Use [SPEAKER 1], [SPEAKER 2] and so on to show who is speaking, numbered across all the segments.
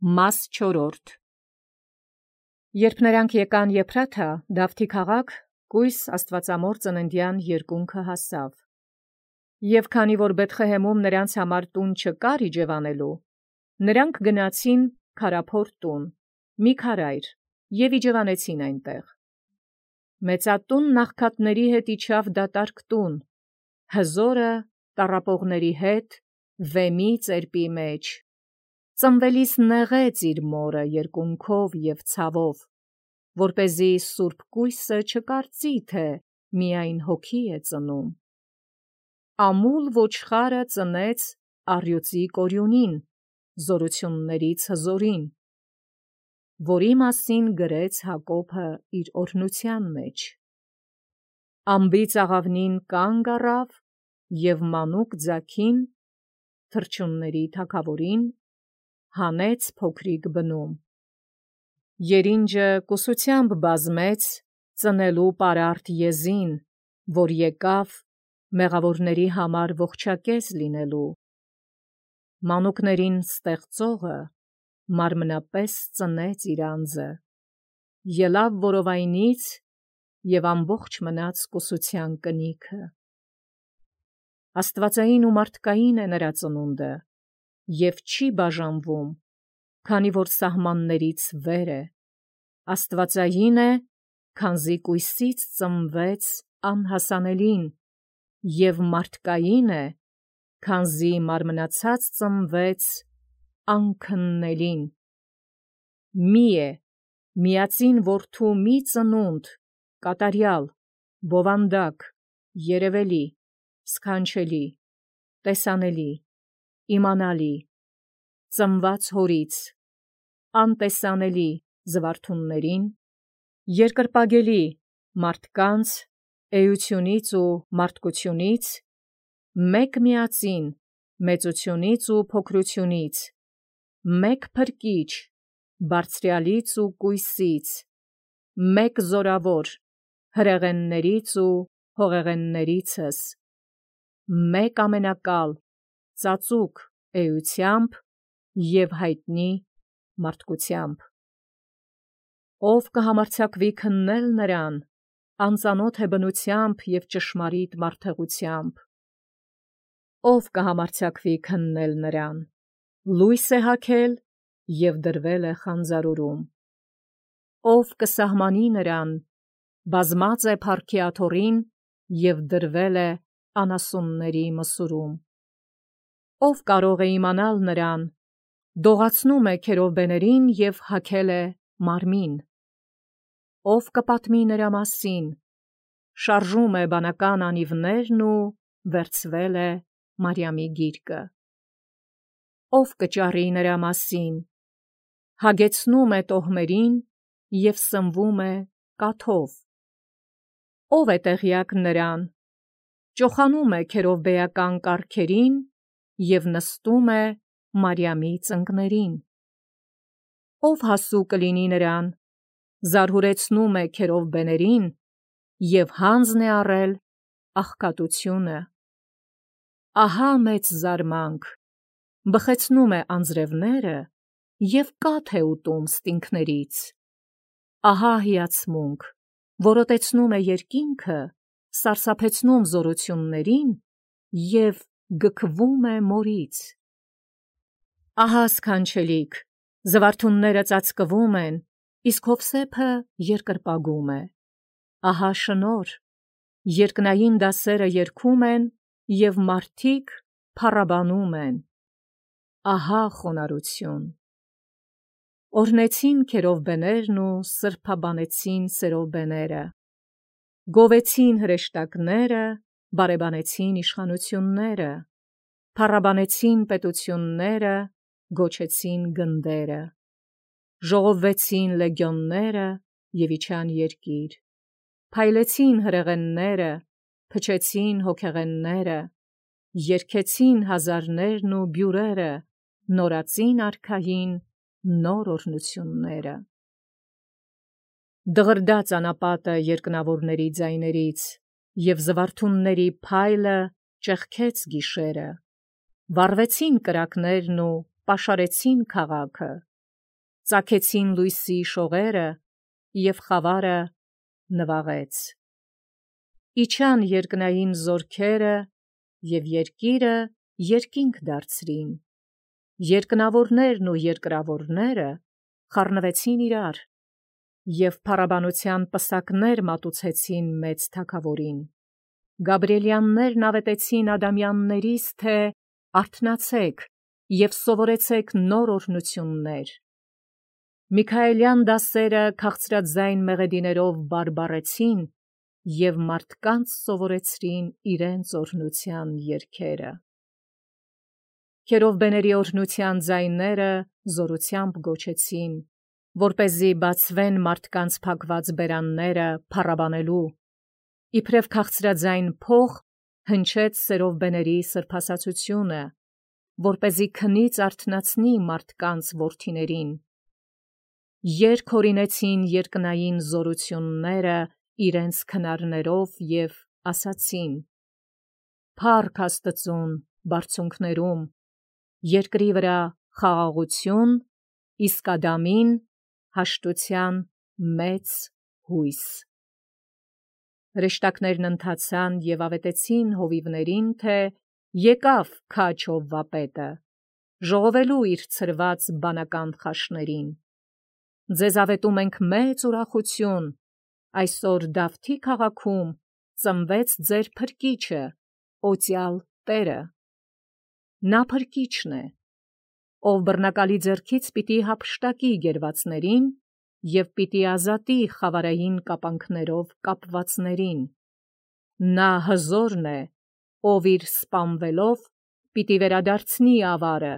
[SPEAKER 1] Մաս 4. Երբ նրանք եկան Եփրաթա, Դավթի քաղաք, կույս Աստուածամոր ծննդյան երկունքը հասավ։ Եւ քանի որ Բեթխեհեմում նրանց համար տուն չկար իջևանելու, նրանք գնացին քարափոր տուն, մի քարայր, եւ իջևանեցին այնտեղ։ Մեծատուն նախքատների հետ իջավ դատարկ տուն, հզորը տառապողների հետ, վեմի ծերպի մեջ։ Ծնվելիս նեղեց իր մորը երկունքով և ցավով, որպեսզի սուրբ կույսը չկարծի, թե միայն հոգի է ծնում։ Ամուլ ոչխարը ծնեց առյուծի կորյունին, զորություններից հզորին, որի մասին գրեց Հակոբը իր օրհնության մեջ։ Ամբից աղավնին կանգ առավ և մանուկ ձագին, թռչունների թագավորին, հանեց փոքրիկ բնում։ Երինջը կուսությամբ բազմեց ծնելու պարարտ եզին, որ եկավ մեղավորների համար ողջակեզ լինելու։ Մանուկներին ստեղծողը մարմնապես ծնեց իր անձը, ելավ որովայնից և ամբողջ մնաց կուսության կնիքը։ Աստվածային ու մարդկային է նրա ծնունդը, և չի բաժանվում, քանի որ սահմաններից վեր է, աստվածային է, քանզի կույսից ծնվեց անհասանելին, և մարդկային է, քանզի մարմնացած ծնվեց անքննելին։ Մի է, միածին որդու մի ծնունդ, կատարյալ, բովանդակ, երևելի, սքանչելի, տեսանելի, իմանալի, ծնված հորից, անտեսանելի զվարթուններին, երկրպագելի մարդկանց, էությունից ու մարդկությունից, մեկ միածին մեծությունից ու փոքրությունից, մեկ փրկիչ բարձրյալից ու կույսից, մեկ զորավոր հրեղեններից ու հողեղեններիցս, մեկ ամենակալ ծածուկ էությամբ և հայտնի մարդկությամբ, ով կհամարձակվի քննել նրան, անծանոթ է բնությամբ և ճշմարիտ մարդեղությամբ, ով կհամարձակվի քննել նրան, լույս է հագել և դրվել է խանձարուրում, ով կսահմանի նրան, բազմած է փառքի աթոռին և դրվել է անասունների մսուրում, ով կարող է իմանալ նրան, դողացնում է քերովբեներին և հագել է մարմին, ով կպատմի նրա մասին, շարժում է բանական անիվներն ու վերցվել է Մարիամի գիրկը, ով կճառի նրա մասին, հագեցնում է տոհմերին և սնվում է կաթով, ով է տեղյակ նրան, ճոխանում է քերովբեական կառքերին և նստում է Մարիամի ծնկներին, ով հասու կլինի նրան, զարհուրեցնում է քերովբեներին և հանձն է առել աղքատությունը։ Ահա մեծ զարմանք, բխեցնում է անձրևները և կաթ է ուտում ստինգներից, ահա հիացմունք, որոտեցնում է երկինքը, սարսափեցնում զորություններին և գքվում է մորից։ Ահա սքանչելիք, զվարթունները ծածկվում են, իսկ Հովսեփը երկրպագում է։ Ահա շնորհ, երկնային դասերը երգում են և մարդիկ փառաբանում են։ Ահա խոնարհություն։ Օրհնեցին քերովբեներն ու սրբաբանեցին սերովբեները, գովեցին հրեշտակները, բարեբանեցին իշխանությունները, փառաբանեցին պետությունները, գոչեցին գնդերը, ժողովվեցին լեգիոնները և իջան երկիր, փայլեցին հրեղենները, փչեցին հոգեղենները, երգեցին հազարներն ու բյուրերը, նորածին արքային նոր օրհնությունները։ Դղրդաց անապատը երկնավորների ձայներից, և զվարթունների փայլը ճեղքեց գիշերը, վառվեցին կրակներն ու պաշարեցին քաղաքը, ծագեցին լույսի շողերը, և խավարը նվաղեց։ Իջան երկնային զորքերը, և երկիրը երկինք դարձրին։ Երկնավորներն ու երկրավորները խառնվեցին իրար, և փառաբանության պսակներ մատուցեցին մեծ թագավորին։ Գաբրիելյաններն ավետեցին ադամյաններիս, թե արթնացեք և սովորեցեք նոր օրհնություններ։ Միքայելյան դասերը քաղցրաձայն մեղեդիներով բարբառեցին և մարդկանց սովորեցրին իրենց օրհնության երգերը։ Քերովբեների օրհնության ձայները զորությամբ գոչեցին, որպեսզի բացվեն մարդկանց փակված բերանները փառաբանելու։ Իբրև քաղցրաձայն փող հնչեց սերովբեների սրբասացությունը, որպեսզի քնից արթնացնի մարդկանց որդիներին։ Երգ հորինեցին երկնային զորությունները իրենց քնարներով և ասացին. «Փառք Աստծուն բարձունքներում, երկրի վրա խաղաղություն, իսկ Ադամին հաշտության մեծ հույս»։ Հրեշտակներն ընթացան և ավետեցին հովիվներին, թե եկավ քաջ Հովվապետը, ժողովելու իր ցրված բանական խաշներին։ Ձեզ ավետում ենք մեծ ուրախություն. այսօր Դավթի քաղաքում ծնվեց ձեր Փրկիչը, օծյալ Տերը։ Նա Փրկիչն է, ով բռնակալի ձեռքից պիտի հափշտակի գերվածներին և պիտի ազատի խավարային կապանքներով կապվածներին։ Նա հզորն է, ով իր սպանվելով պիտի վերադարձնի ավարը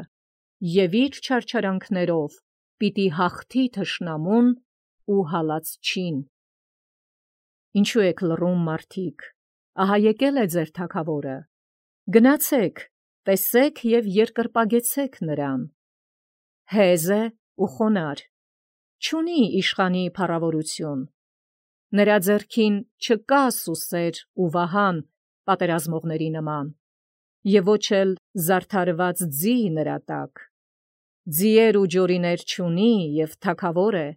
[SPEAKER 1] և իր չարչարանքներով պիտի հաղթի թշնամուն ու հալածչին։ Ինչու եք լռում, մարդիկ, ահա եկել է ձեր թագավորը. գնացեք, տեսեք և երկրպագեցեք նրան։ Հեզ է ու խոնարհ, չունի իշխանի փառավորություն։ Նրա ձեռքին չկա սուսեր ու վահան պատերազմողների նման, և ոչ էլ զարդարված ձի նրա տակ։ Ձիեր ու ջորիներ չունի և թագավոր է։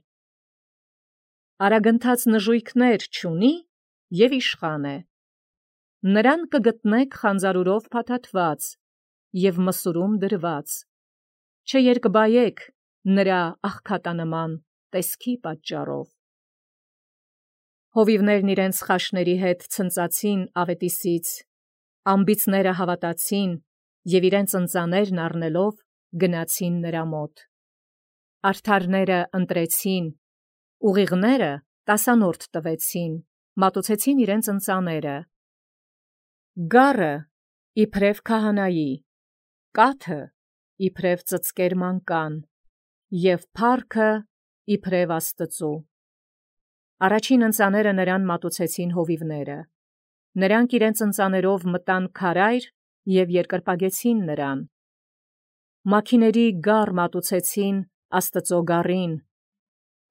[SPEAKER 1] Արագընթաց նժույգներ չունի և իշխան է։ Նրան կգտնեք խանձարուրով փաթաթված և մսուրում դրված, չերկբայեք նրա աղքատանման տեսքի պատճառով։ Հովիվներն իրենց խաշների հետ ցնծացին ավետիսից, ամբիցները հավատացին և իրենց ընծաներն առնելով գնացին նրա մոտ։ Արդարները ընտրեցին, ուղիղները տասանորդ տվեցին, մատուցեցին իրենց ընծաները։ Գառը իբրև քահանայի, կաթը իբրև ծծկեր մանկան, և փառքը իբրև Աստծու։ Առաջին ընծաները նրան մատուցեցին հովիվները։ Նրանք իրենց ընծաներով մտան քարայր և երկրպագեցին նրան։ Մաքիների գառ մատուցեցին Աստծու գառին,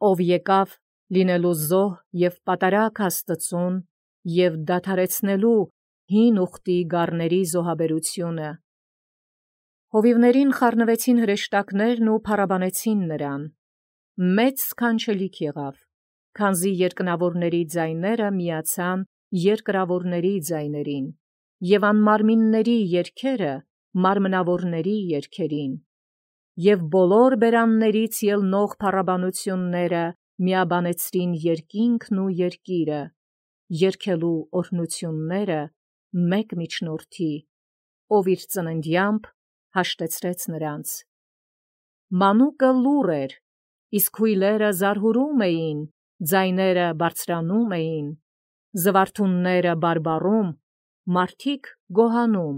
[SPEAKER 1] ով եկավ լինելու զոհ և պատարագ Աստծուն և դադարեցնելու հին ուխտի գառների զոհաբերությունը։ Հովիվներին խառնվեցին հրեշտակներն ու փառաբանեցին նրան։ Մեծ սքանչելիք եղավ, քանզի երկնավորների ձայները միացան երկրավորների ձայներին, և անմարմինների երգերը մարմնավորների երգերին, և բոլոր բերաններից ելնող փառաբանությունները միաբանեցրին երկինքն ու երկիրը, երգելու օրհնությունները մեկ միջնորդի, ով իր ծննդյամբ հաշտեցրեց նրանց։ Մանուկը լուռ էր, իսկ հույլերը զարհուրում էին, ձայները բարձրանում էին, զվարթունները բարբառում, մարդիկ գոհանում,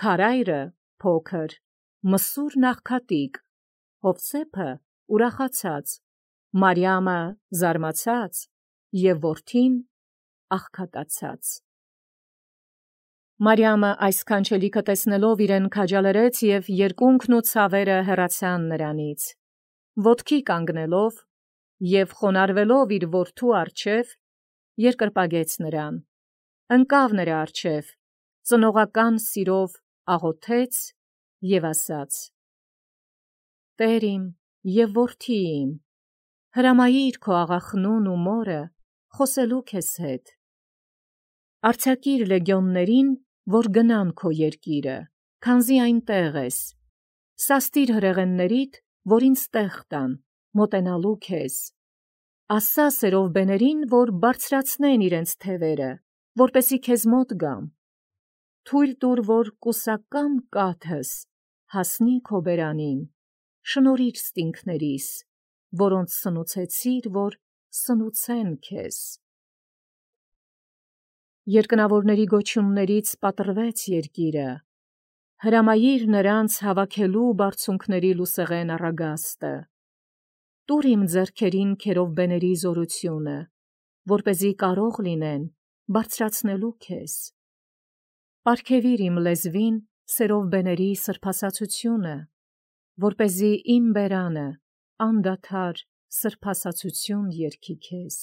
[SPEAKER 1] քարայրը փոքր, մսուրն աղքատիկ, Հովսեփը ուրախացած, Մարիամը զարմացած և որդին աղքատացած։ Մարիամը այս սքանչելիքը տեսնելով իրեն քաջալերեց, և երկունքն ու ցավերը հեռացան նրանից։ Ոտքի կանգնելով և խոնարհվելով իր որդու առջև, երկրպագեց նրան, ընկավ նրա առջև, ծնողական սիրով աղոթեց և ասաց. «Տեր իմ, եւ որդի իմ, հրամայիր քո աղախնուն ու մորը խոսելու քեզ հետ։ Արձակիր լեգիոններին, որ գնան քո երկիրը, քանզի այնտեղ ես։ Սաստիր հրեղեններիդ, որ ինձ տեղ տան, մոտենալու քեզ։ Ասա սերովբեներին, որ բարձրացնեն իրենց թևերը, որպեսի քեզ մոտ գամ։ Թույլ տուր, որ կուսակամ կաթս հասնի քո բերանին, շնորհիր ստինքներիս, որոնց սնուցեցիր, որ սնուցեն քեզ։ Երկնավորների գոչյուններից պատռվեց երկիրը, հրամայիր նրանց հավաքելու բարձունքների լուսեղեն առագաստը։ Տուր իմ ձեռքերին քերովբեների զորությունը, որպեսզի կարող լինեն բարձրացնելու քեզ։ Պարգևիր իմ լեզվին սերովբեների սրբասացությունը, որպեսզի իմ բերանը անդադար սրբասացություն երգի քեզ։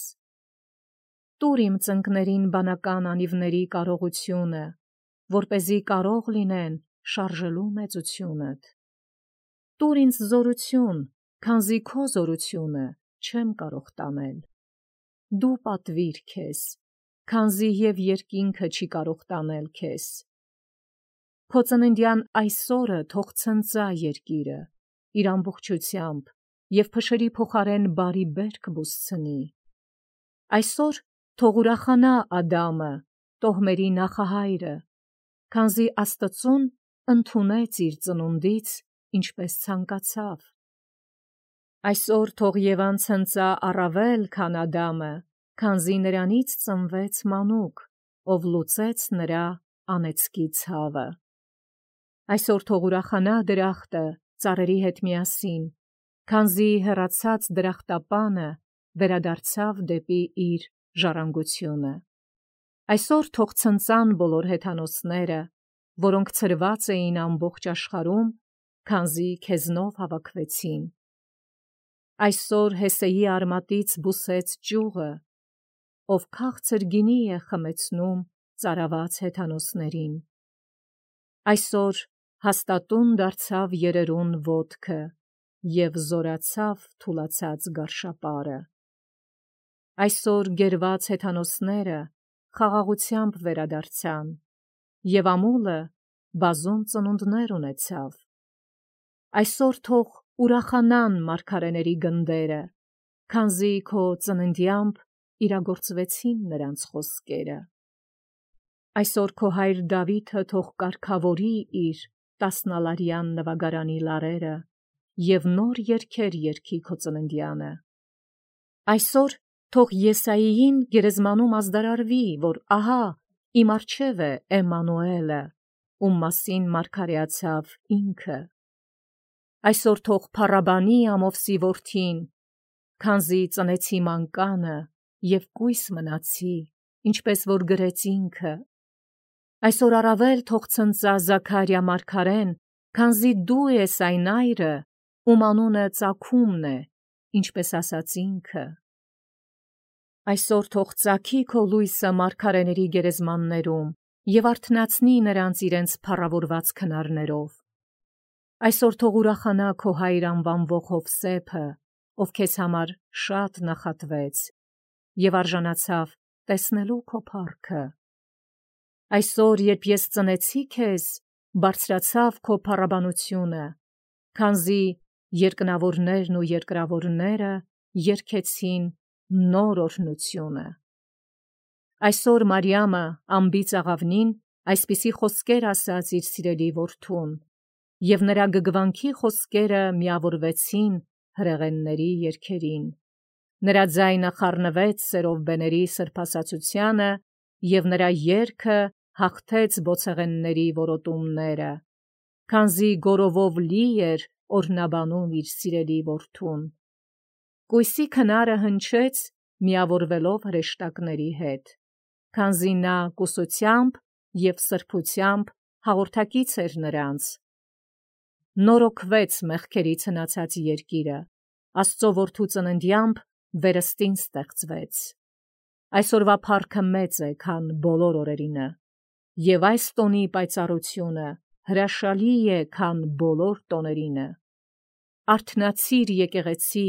[SPEAKER 1] Տուր իմ ծնկներին բանական անիվների կարողությունը, որպեսզի կարող լինեն շարժելու մեծությունդ։ Տուր ինձ զորություն, քանզի քո զորությունը չեմ կարող տանել։ Դու պատվիր քեզ, քանզի և երկինքը չի կարող տանել քեզ։ Քո ծննդյան այսօրը թող ցնծա երկիրը իր ամբողջությամբ և փշերի փոխարեն բարի բերք բուսցնի։ Այսօր թող ուրախանա Ադամը, տոհմերի նախահայրը, քանզի Աստծուն ընդունեց իր ծնունդից, ինչպես ցանկացավ։ Այսօր թող Եվան ցնծա առավել, քան Ադամը, քանզի նրանից ծնվեց մանուկ, ով լուծեց նրա անեծքի ցավը։ Այսօր թող ուրախանա դրախտը ծառերի հետ միասին, քանզի հեռացած դրախտապանը վերադարձավ դեպի իր ժառանգությունը։ Այսօր թող ցնծան բոլոր հեթանոսները, որոնք ցրված էին ամբողջ աշխարհում, քանզի քեզնով հավաքվեցին։ Այսօր Հեսեի արմատից բուսեց ճյուղը, ով քաղցր գինի է խմեցնում ծարաված հեթանոսներին։ Այսօր հաստատուն դարձավ երերուն ոտքը և զորացավ թուլացած գարշապարը։ Այսօր գերված հեթանոսները խաղաղությամբ վերադարձան, և ամուլը բազում ծնունդներ ունեցավ։ Այսօր թող ուրախանան մարգարեների գնդերը, քանզի քո ծննդյամբ իրագործվեցին նրանց խոսքերը։ Այսօր քո հայր Դավիթը թող կարգավորի իր տասնալարյան նվագարանի լարերը և նոր երգեր երգի քո ծննդյանը։ Այսօր թող Եսայիին գերեզմանում ազդարարվի, որ ահա իմ առջև է Էմմանուելը, ում մասին մարգարեացավ ինքը։ Այսօր թող փառաբանի ամովսի որդին, քանզի ծնեցի մանկանը և կույս մնացի, ինչպես որ գրեց ինքը։ Այսօր առավել թող ցնծա Զաքարիա մարգարեն, քանզի դու ես այն այրը, ում անունը ծագումն է, ինչպես ասաց ինքը։ Այսօր թող ծագի քո լույսը մարգարեների գերեզմաններում և արթնացնի նրանց իրենց փառավորված քնարներով։ Այսօր թող ուրախանա քո հայր անվանվող Հովսեփը, ով քեզ համար շատ նախատվեց և արժանացավ տեսնելու քո փառքը։ Այսօր, երբ ես ծնեցի քեզ, բարձրացավ քո փառաբանությունը, քանզի երկնավորներն ու երկրավորները երգեցին նոր օրհնությունը։ Այսօր Մարիամը անբիծ աղավնին այսպիսի խոսքեր ասաց իր սիրելի որդուն, և նրա գգվանքի խոսքերը միավորվեցին հրեղենների երգերին։ Նրա ձայնը խառնվեց սերովբեների սրբասացությանը, և նրա երգը հաղթեց բոցեղենների որոտումները, քանզի գորովով լի էր օրհնաբանում իր սիրելի որդուն։ Կույսի քնարը հնչեց միավորվելով հրեշտակների հետ, քանզի նա կուսությամբ և սրբությամբ հաղորդակից էր նրանց։ Նորոգվեց մեղքերից հնացած երկիրը, Աստծո որդու ծննդյամբ վերստին ստեղծվեց։ Այսօրվա փառքը մեծ է, քան բոլոր օրերինը, և այս տոնի պայծառությունը հրաշալի է, քան բոլոր տոներինը։ արթնացիր եկեղեցի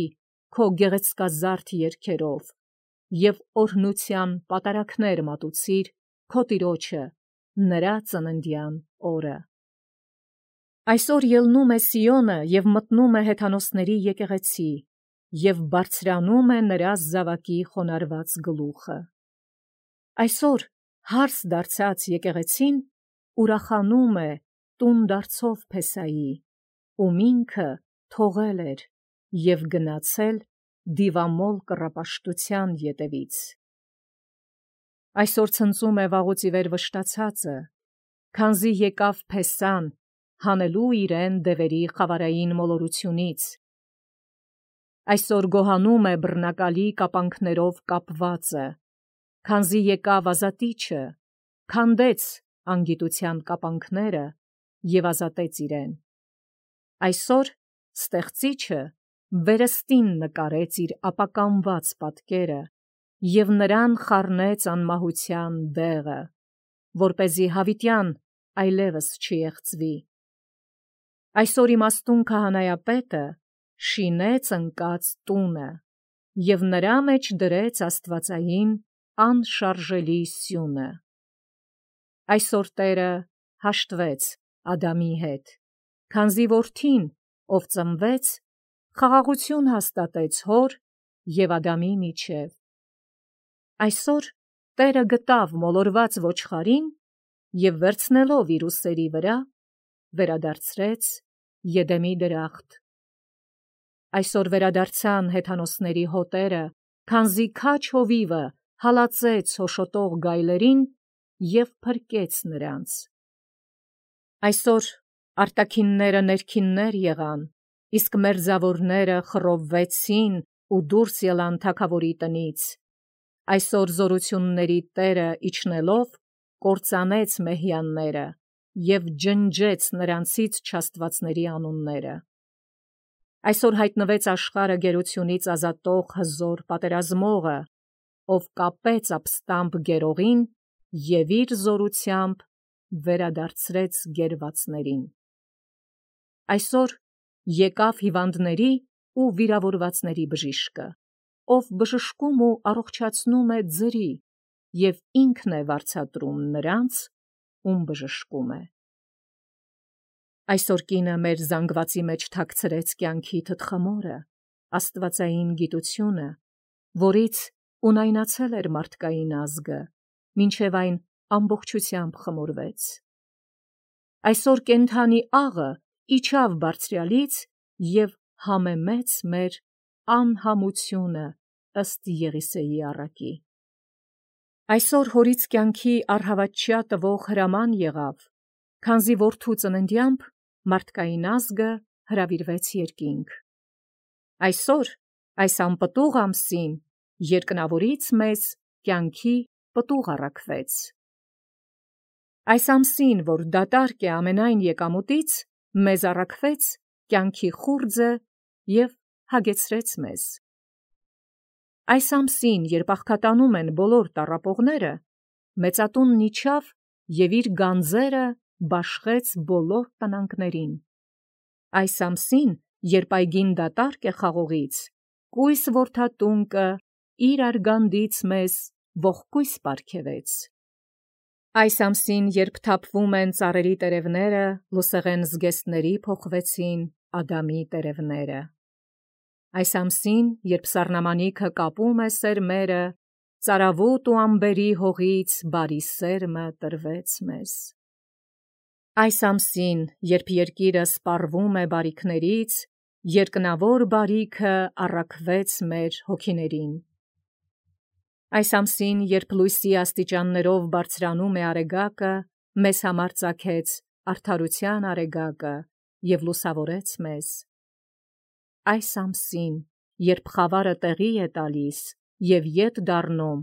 [SPEAKER 1] քո գեղեցկազարդ երգերով և օրհնության պատարակներ մատուցիր քո Տիրոջը նրա ծննդյան օրը։ Այսօր ելնում է Սիոնը և մտնում է հեթանոսների եկեղեցի և բարձրանում է նրա զավակի խոնարհված գլուխը։ Այսօր հարս դարձած եկեղեցին ուրախանում է տուն դարձով Փեսայի, ում ինքը թողել էր և գնացել դիվամոլ կռապաշտության ետևից։ Այսօր ցնծում է վաղուց ի վեր վշտացածը, քանզի եկավ Փեսան հանելու իրեն դևերի խավարային մոլորությունից։ Այսօր գոհանում է բռնակալի կապանքներով կապվածը, քանզի եկավ ազատիչը, քանդեց անգիտության կապանքները և ազատեց իրեն։ Այսօր ստեղծիչը վերստին նկարեց իր ապականված պատկերը և նրան խառնեց անմահության դեղը, որպեսզի հավիտյան այլևս չեղծվի։ Այսօր իմաստուն քահանայապետը շինեց ընկած տունը և նրա մեջ դրեց աստվածային անշարժելի սյունը։ Այսօր Տերը հաշտվեց Ադամի հետ, քանզի որդին, ով ծնվեց, խաղաղություն հաստատեց հոր և Ադամի միջև։ Այսօր Տերը գտավ մոլորված ոչխարին և վերցնելով իր ուսերի վրա, վերադարձրեց Եդեմի դրախտ։ Այսօր վերադարձան հեթանոսների հոտերը, քանզի քաջ հովիվը հալածեց հոշոտող գայլերին և փրկեց նրանց։ Այսօր արտաքինները ներքիններ եղան, իսկ մերձավորները խռովվեցին ու դուրս ելան թագավորի տնից։ Այսօր զորությունների Տերը իջնելով կործանեց մեհյանները և ջնջեց նրանցից չաստվածների անունները։ Այսօր հայտնվեց աշխարհը գերությունից ազատող հզոր պատերազմողը, ով կապեց ապստամբ գերողին և իր զորությամբ վերադարձրեց գերվածներին։ Այսօր եկավ հիվանդների ու վիրավորվածների բժիշկը, ով բժշկում ու առողջացնում է ձրի և ինքն է վարձատրում նրանց, ում բժշկում է։ Այսօր կինը մեր զանգվածի մեջ թաքցրեց կյանքի թտխմորը, աստվածային գիտությունը, որից ունայնացել էր մարդկային ազգը, մինչև այն ամբողջությամբ խմորվեց։ Այսօր կենդանի աղը իջավ բարձրյալից և համեմեց մեր անհամությունը ըստ Եղիսեի առակի։ Այսօր հորից կյանքի առհավատչյա տվող հրաման եղավ, քանզի որդու ծննդյամբ մարդկային ազգը հրավիրվեց երկինք։ Այսօր այս անպտուղ ամսին երկնավորից մեզ կյանքի պտուղ առաքվեց։ Այս ամսին, որ դատարկ է ամենայն եկամուտից, մեզ առաքվեց կյանքի խուրձը և հագեցրեց մեզ։ Այս ամսին, երբ աղքատանում են բոլոր տառապողները, մեծատունն իջավ և իր գանձերը բաշխեց բոլոր տնանքներին։ Այս ամսին, երբ այգին դատարկ է խաղողից, կույս որդատունկը իր արգանդից մեզ ողկույզ պարգևեց։ Այս ամսին, երբ թափվում են ծառերի տերևները, լուսեղեն զգեստների փոխվեցին Ադամի տերևները։ Այս ամսին, երբ սառնամանիքը կապում է սերմերը, ծարավոտ ու ամբերի հողից բարի սերմը տրվեց մեզ։ Այս ամսին, երբ երկիրը սպառվում է բարիքներից, երկնավոր բարիքը առաքվեց մեր հոգիներին։ Այս ամսին, երբ լույսի աստիճաններով բարձրանում է արեգակը, մեզ համար ծագեց արդարության արեգակը և լուսավորեց մեզ։ Այս ամսին, երբ խավարը տեղի է տալիս և ետ դառնում,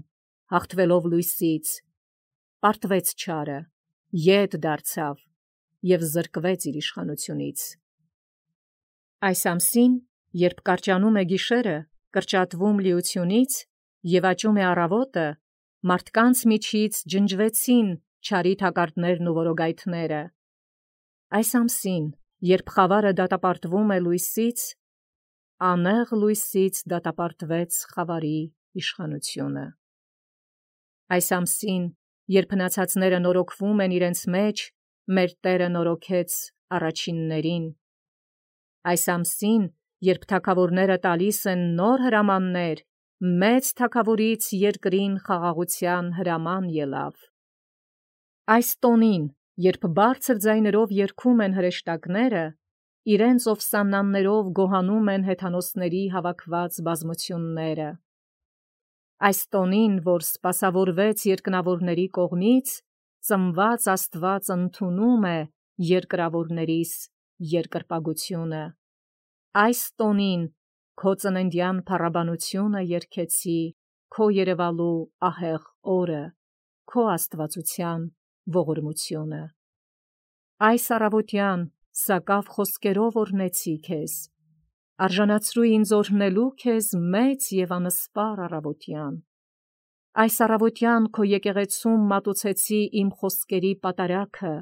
[SPEAKER 1] հաղթվելով լույսից, պարտվեց չարը, ետ դարձավ և զրկվեց իր իշխանությունից։ Այս ամսին, երբ կարճանում է գիշերը, կրճատվում լիությունից և աճում է առավոտը, մարդկանց միջից ջնջվեցին չարի թակարդներն ու որոգայթները։ Այս ամսին, երբ խավարը դատապարտվում է լույսից անեղ լույսից դատապարտվեց խավարի իշխանությունը։ Այս ամսին, երբ հնացածները նորոգվում են իրենց մեջ, մեր Տերը նորոգեց առաջիններին։ Այս ամսին, երբ թագավորները տալիս են նոր հրամաններ, մեծ թագավորից երկրին խաղաղության հրաման ելավ։ Այս տոնին, երբ բարձր ձայներով երգում են հրեշտակները, իրենց ովսաննաններով գոհանում են հեթանոսների հավաքված բազմությունները։ Այս տոնին, որ սպասավորվեց երկնավորների կողմից, ծնված Աստված ընդունում է երկրավորներիս երկրպագությունը։ Այս տոնին քո ծննդյան փառաբանությունը երգեցի, քո երևալու ահեղ օրը, քո աստվածության ողորմությունը։ Այս առավոտյան սակավ խոսքերով օրհնեցի քեզ, արժանացրու ինձ օրհնելու քեզ մեծ և անսպար առավոտյան։ Այս առավոտյան քո եկեղեցում մատուցեցի իմ խոսքերի պատարագը,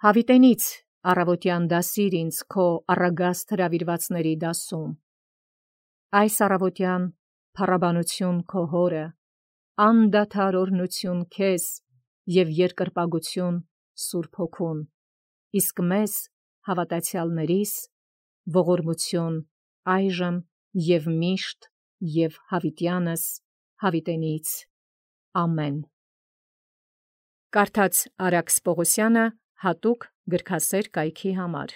[SPEAKER 1] հավիտենից առավոտյան դասիր ինձ քո առագաստ հրավիրվածների դասում։ Այս առավոտյան փառաբանություն քո հորը, անդադար օրհնություն քեզ և երկրպագություն Սուրբ Հոգուն, իսկ մեզ հավատացյալներիս ողորմություն այժմ և միշտ և հավիտյանս հավիտենից։ Ամեն։ Կարդաց Արաքս Պողոսյանը հատուկ գրքասեր կայքի համար։